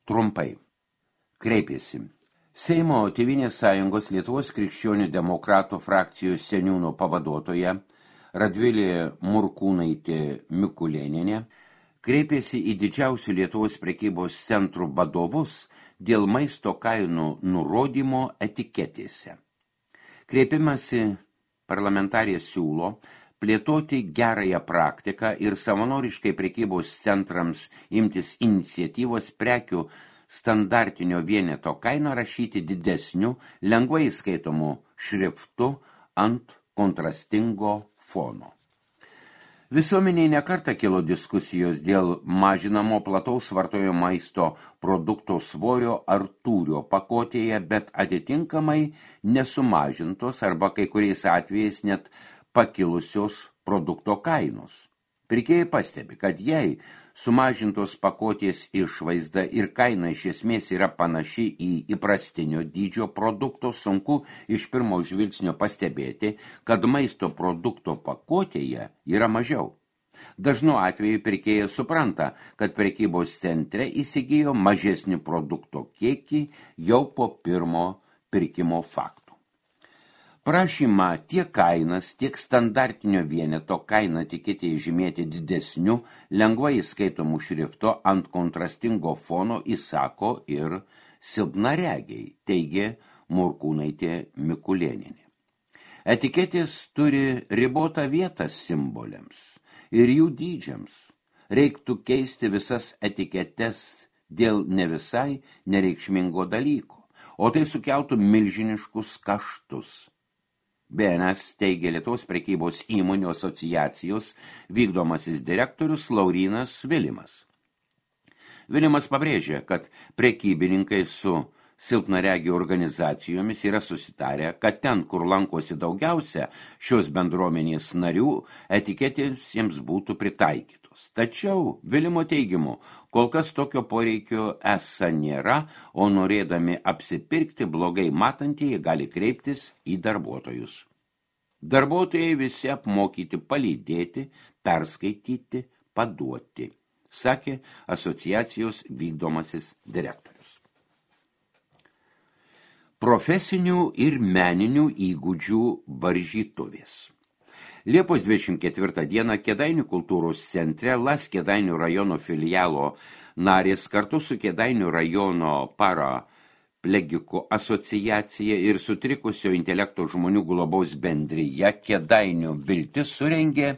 Trumpai. Kreipėsi. Seimo Tėvynės sąjungos Lietuvos krikščionių demokratų frakcijos seniūno pavaduotoja Radvilė Morkūnaitė Mikulėnienė kreipėsi į didžiausių Lietuvos prekybos centrų vadovus dėl maisto kainų nurodymo etiketėse. Kreipimąsi parlamentarė siūlo plėtoti gerąją praktiką ir savanoriškai prekybos centrams imtis iniciatyvos prekių standartinio vieneto kainą rašyti didesniu, lengvai skaitomų šriftu ant kontrastingo fono. Visuomeniai nekartą kilo diskusijos dėl mažinamo plataus vartojimo maisto produkto svorio ar tūrio pakotėje, bet atitinkamai nesumažintos arba kai kuriais atvejais net pakilusios produkto kainos. Pirkėjai pastebi, kad jei sumažintos pakotės išvaizda ir kaina iš esmės yra panaši į įprastinio dydžio produkto, sunku iš pirmo žvilgsnio pastebėti, kad maisto produkto pakotėje yra mažiau. Dažnu atveju pirkėjas supranta, kad prekybos centre įsigijo mažesnį produkto kiekį jau po pirmo pirkimo fakto. Prašymą tiek kainas, tiek standartinio vieneto kainą etiketėje žymėti didesniu, lengvai skaitomų šrifto ant kontrastingo fono įsako ir silpnaregiai, teigė Morkūnaitė Mikulėnienė. Etiketės turi ribotą vietą simboliams ir jų dydžiams. Reiktų keisti visas etiketes dėl ne visai nereikšmingo dalyko, o tai sukeltų milžiniškus kaštus. BNS teigia Lietuvos prekybos įmonių asociacijos vykdomasis direktorius Laurynas Vilimas. Vilimas pabrėžė, kad prekybininkai su silpnaregių organizacijomis yra susitarę, kad ten, kur lankosi daugiausia šios bendruomenės narių, etiketės jiems būtų pritaikytos. Tačiau, Vilimo teigimu, kol kas tokio poreikio esą nėra, o norėdami apsipirkti blogai matantieji gali kreiptis į darbuotojus. Darbuotojai visi apmokyti palydėti, perskaityti, paduoti, sakė asociacijos vykdomasis direktorius. Profesinių ir meninių įgūdžių varžytuvės. Liepos 24 dieną Kėdainių kultūros centre LAS Kėdainių rajono filialo narės kartu su Kėdainių rajono paraplegikų asociacija ir sutrikusio intelekto žmonių globos bendrija Kėdainių Viltis surengė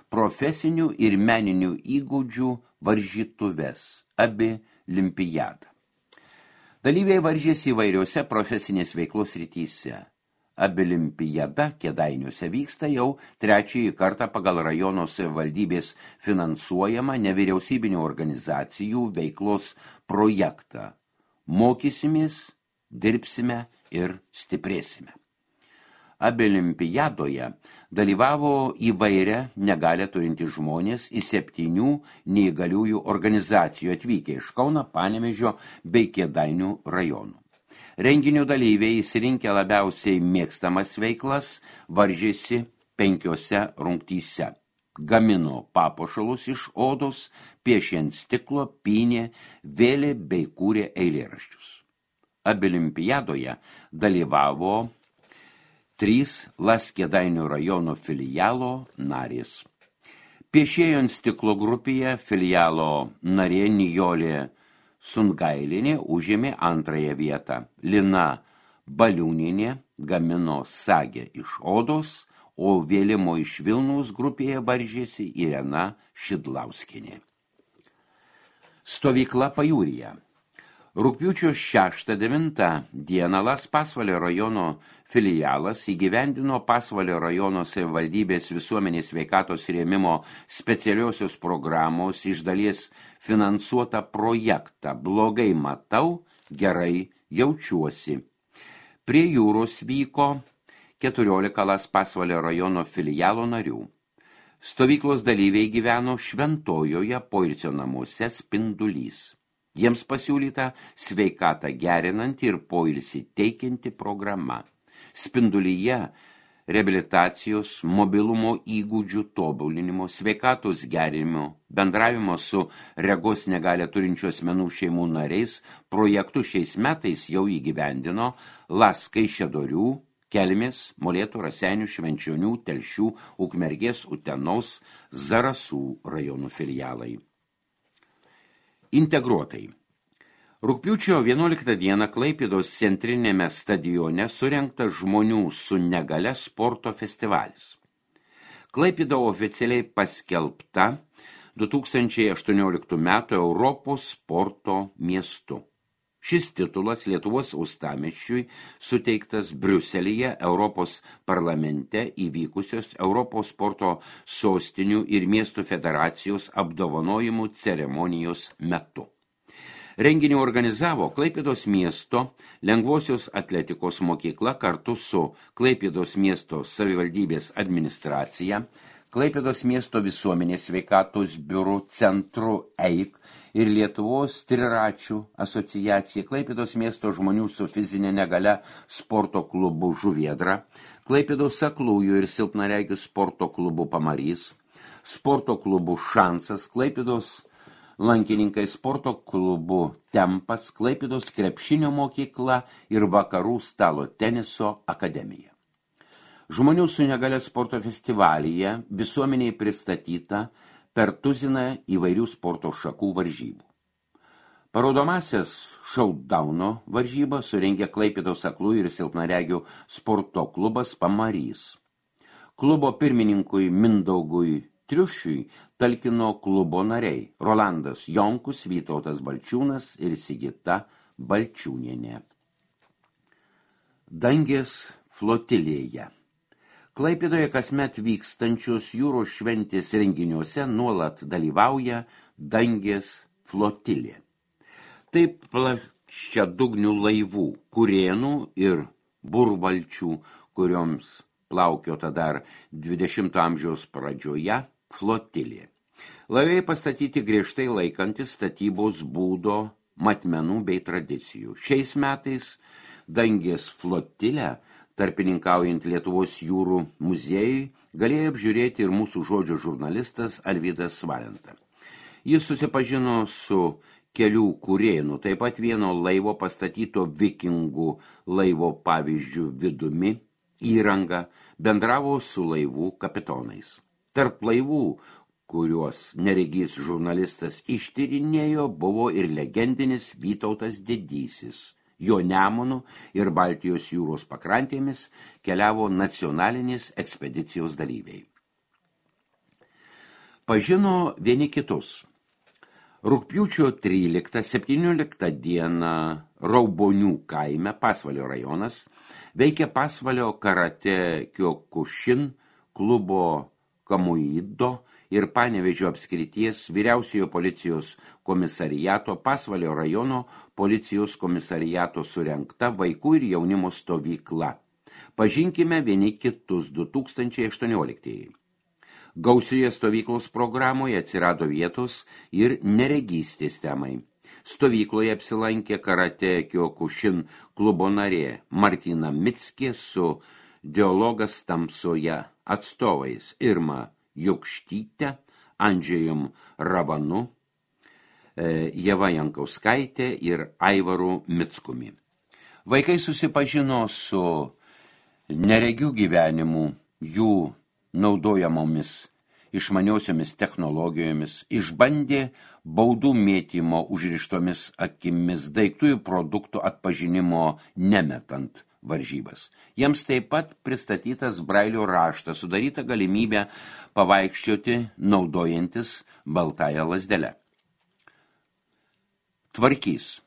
profesinių ir meninių įgūdžių varžytuves, abi limpiadą. Dalyviai varžėsi įvairiose profesinės veiklos rytyse. Abilimpiada Kėdainiuose vyksta jau trečiąjį kartą pagal rajono savivaldybės finansuojamą nevyriausybinių organizacijų veiklos projektą. Mokysimės, dirbsime ir stiprėsime. Abilimpiadoje dalyvavo įvairia negalią turintys žmonės iš 7 neįgaliųjų organizacijų atvykę iš Kauno, Panevėžio bei Kėdainių rajonų. Renginio dalyviai įsirinkę labiausiai mėgstamas veiklas varžėsi 5 rungtyse. Gamino papuošalus iš odos, piešė ant stiklo, pynė, vėlė bei kūrė eilėraščius. Abilimpiadoje dalyvavo 3 LAS Kėdainių rajono filialo narės. Piešėjo ant stiklo grupėje filialo narė Nijolė Sungailinė užėmė 2 vietą. Lina Baliūnienė gamino sagę iš odos, o vėlimo iš Vilniaus grupėje varžėsi Irena Šidlauskienė. Stovykla pajūryje. Rugpjūčio 6-9 dieną LAS Pasvalio rajono filialas įgyvendino Pasvalio rajono savivaldybės visuomenės sveikatos rėmimo specialiosios programos iš dalies finansuotą projektą Blogai matau, gerai jaučiuosi. Prie jūros vyko 14 LAS Pasvalio rajono filialo narių. Stovyklos dalyviai gyveno Šventojoje poilsio namuose Spindulys. Jiems pasiūlyta sveikatą gerinanti ir poilsį teikianti programa. Spindulyje reabilitacijos, mobilumo įgūdžių tobulinimo, sveikatos gerinimo, bendravimo su regos negalią turinčių asmenų šeimų nariais projektų šiais metais jau įgyvendino LAS Kaišiadorių, Kelmės, Molėtų, Raseinių, Švenčionių, Telšių, Ukmergės, Utenos, Zarasų rajonų filialai. Integruotai. Rugpjūčio 11 dieną Klaipėdos centrinėme stadione surengtas žmonių su negale sporto festivalis. Klaipėda oficialiai paskelbta 2018 metų Europos sporto miestu. Šis titulas Lietuvos uostamiesčiui suteiktas Briuselyje Europos parlamente įvykusios Europos sporto sostinių ir miestų federacijos apdovanojimų ceremonijos metu. Renginį organizavo Klaipėdos miesto lengvosios atletikos mokykla kartu su Klaipėdos miesto savivaldybės administracija, Klaipėdos miesto visuomenės sveikatos biurų centru EIK ir Lietuvos triračių asociacija, Klaipėdos miesto žmonių su fizinė negalia sporto klubu Žuviedra, Klaipėdos aklųjų ir silpnaregių sporto klubu Pamarys, sporto klubu Šansas, Klaipėdos lankininkai sporto klubu Tempas, Klaipėdos krepšinio mokykla ir Vakarų stalo teniso akademija. Žmonių su negalia sporto festivalyje visuomeniai pristatyta per tuziną įvairių sporto šakų varžybų. Parodomasias šaudauno varžybą surengė Klaipėdos aklųjų ir silpnaregių sporto klubas Pamarys. Klubo pirmininkui Mindaugui Triušiui talkino klubo nariai Rolandas Jonkus, Vytautas Balčiūnas ir Sigita Balčiūnienė. Dangės flotilėje. Klaipėdoje kasmet vykstančios jūros šventės renginiuose nuolat dalyvauja Dangės flotilė. Taip plačiadugnių laivų, kurėnų ir burvalčių, kurioms plaukiota dar 20 amžiaus pradžioje, flotilė. Laivai pastatyti griežtai laikantis statybos būdo, matmenų bei tradicijų. Šiais metais Dangės flotilę, tarpininkaujant Lietuvos jūrų muziejui, galėjo apžiūrėti ir mūsų žodžio žurnalistas Alvydas Valenta. Jis susipažino su kelių kurėnų, taip pat vieno laivo pastatyto vikingų laivo pavyzdžių vidumi, įranga, bendravo su laivų kapitonais. Tarp laivų, kuriuos neregys žurnalistas ištyrinėjo, buvo ir legendinis Vytautas Didysis. Jo Nemunų ir Baltijos jūros pakrantėmis keliavo nacionalinės ekspedicijos dalyviai. Pažino vieni kitus. Rugpjūčio 13-17 dieną Raubonių kaime, Pasvalio rajonas, veikia Pasvalio karate Kyokushin klubo Kamuido ir Panevėžio apskrities vyriausiojo policijos komisariato Pasvalio rajono policijos komisariato surengta vaikų ir jaunimo stovykla. Pažinkime vieni kitus 2018. Gausioje stovyklos programoje atsirado vietos ir neregystės temai. Stovykloje apsilankė karate Kyokushin klubo narė Martina Mickė su dialogas tamsoje atstovais Irma Jukštytė, Andžejum Ravanu, Jeva Jankauskaitė ir Aivaru Mickumi. Vaikai susipažino su neregių gyvenimu, jų naudojamomis išmaniosiomis technologijomis, išbandė baudų mėtymo užrištomis akimis, daiktų ir produktų atpažinimo nemetant varžybas. Jiems taip pat pristatytas brailio raštas, sudaryta galimybė pavaikščioti naudojantis baltąją lazdelę. Tvarkys.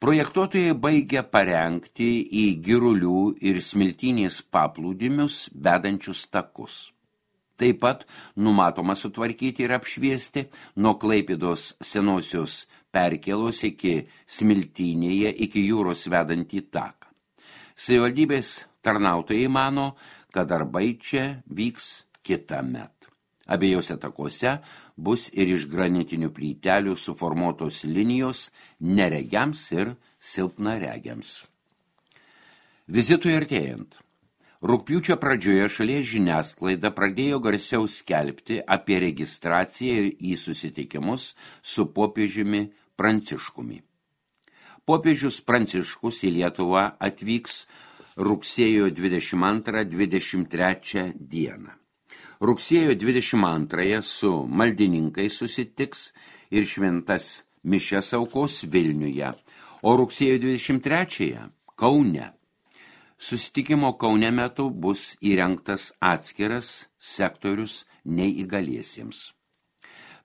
Projektuotojai baigia parengti į Girulių ir Smiltynės paplūdimius vedančius takus. Taip pat numatoma sutvarkyti ir apšviesti nuo Klaipėdos senosios perkėlos iki Smiltynėje iki jūros vedantį taką. Savivaldybės tarnautojai mano, kad darbai čia vyks kitąmet. Abiejose takuose bus ir iš granitinių plytelių suformuotos linijos neregiams ir silpnaregiams. Vizitui artėjant. Rugpjūčio pradžioje šalies žiniasklaida pradėjo garsiau skelbti apie registraciją į susitikimus su popiežiumi Pranciškumi. Popiežius Pranciškus į Lietuvą atvyks rugsėjo 22-23 dieną. Rugsėjo 22 su maldininkais susitiks ir šventas mišias aukos Vilniuje, o rugsėjo 23 Kaune. Susitikimo Kaune metu bus įrengtas atskiras sektorius neįgaliesiems.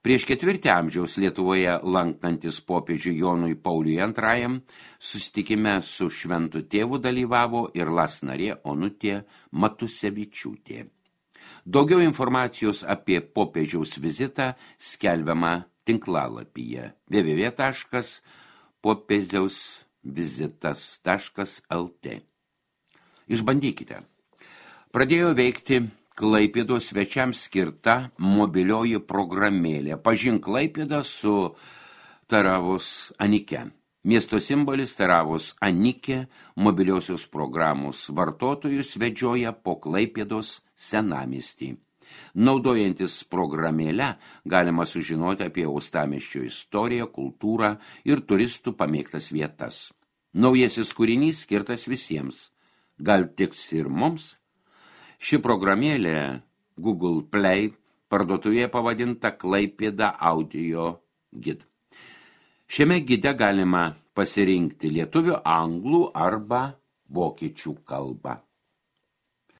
Prieš 4 amžiaus Lietuvoje lankantis popiežiui Jonui Pauliui II susitikime su šventu tėvu dalyvavo ir LAS narė Onutė Matusevičiūtė. Daugiau informacijos apie popiežiaus vizitą skelbiama tinklalapyje www.popiežiausvizitas.lt. Išbandykite. Pradėjo veikti Klaipėdos svečiams skirta mobilioji programėlė Pažink Klaipėdą su Taravos Anike. Miesto simbolis Taravos Anikė mobiliosios programos vartotojus vedžioja po Klaipėdos senamiestį. Naudojantis programėlę galima sužinoti apie uostamiesčio istoriją, kultūrą ir turistų pamėgtas vietas. Naujasis kūrinys skirtas visiems. Gal tiks ir mums? Ši programėlė Google Play parduotuvėje pavadinta Klaipėda audio gid. Šiame gide galima pasirinkti lietuvių, anglų arba vokiečių kalbą.